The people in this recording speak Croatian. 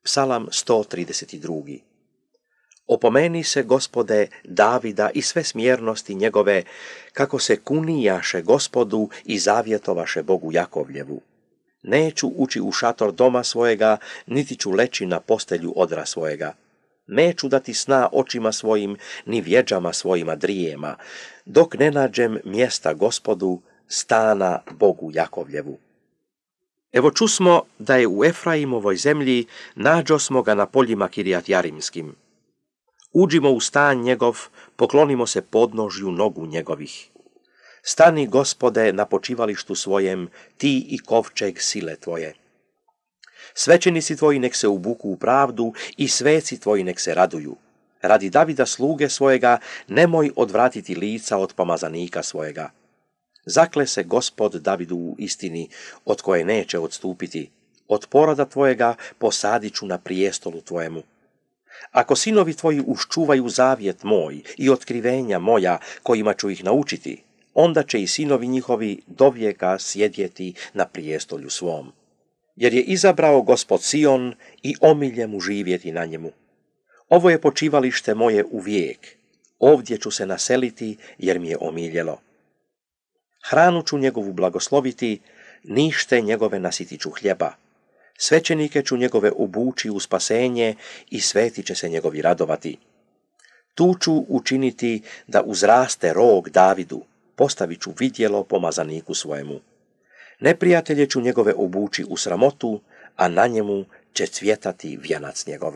Psalam 132. Opomeni se, Gospode, Davida i sve smjernosti njegove, kako se kunijaše Gospodu i zavjetovaše Bogu Jakovljevu. Neću ući u šator doma svojega, niti ću leći na postelju odra svojega. Neću dati sna očima svojim, ni vjeđama svojima drijema, dok ne nađem mjesta Gospodu, stana Bogu Jakovljevu. Evo čusmo da je u Efraimovoj zemlji, nađosmo ga na poljima Kirijat Jarimskim. Uđimo u stan njegov, poklonimo se podnožju nogu njegovih. Stani, Gospode, na počivalištu svojem, ti i kovčeg sile tvoje. Svećenici tvoji nek se ubuku u pravdu i sveci tvoji nek se raduju. Radi Davida sluge svojega nemoj odvratiti lica od pomazanika svojega. Zakle se Gospod Davidu u istini, od koje neće odstupiti. Od poroda tvojega posadit ću na prijestolu tvojemu. Ako sinovi tvoji uščuvaju zavjet moj i otkrivenja moja, kojima ću ih naučiti, onda će i sinovi njihovi dovijeka sjedjeti na prijestolju svom. Jer je izabrao Gospod Sion i omilje mu živjeti na njemu. Ovo je počivalište moje uvijek, ovdje ću se naseliti jer mi je omiljelo. Hranu ću njegovu blagosloviti, nište njegove nasitit ću hljeba. Svećenike ću njegove obući u spasenje i sveti će se njegovi radovati. Tu ću učiniti da uzraste rog Davidu, postavit ću vidjelo pomazaniku svojemu. Neprijatelje ću njegove obući u sramotu, a na njemu će cvjetati vjenac njegov.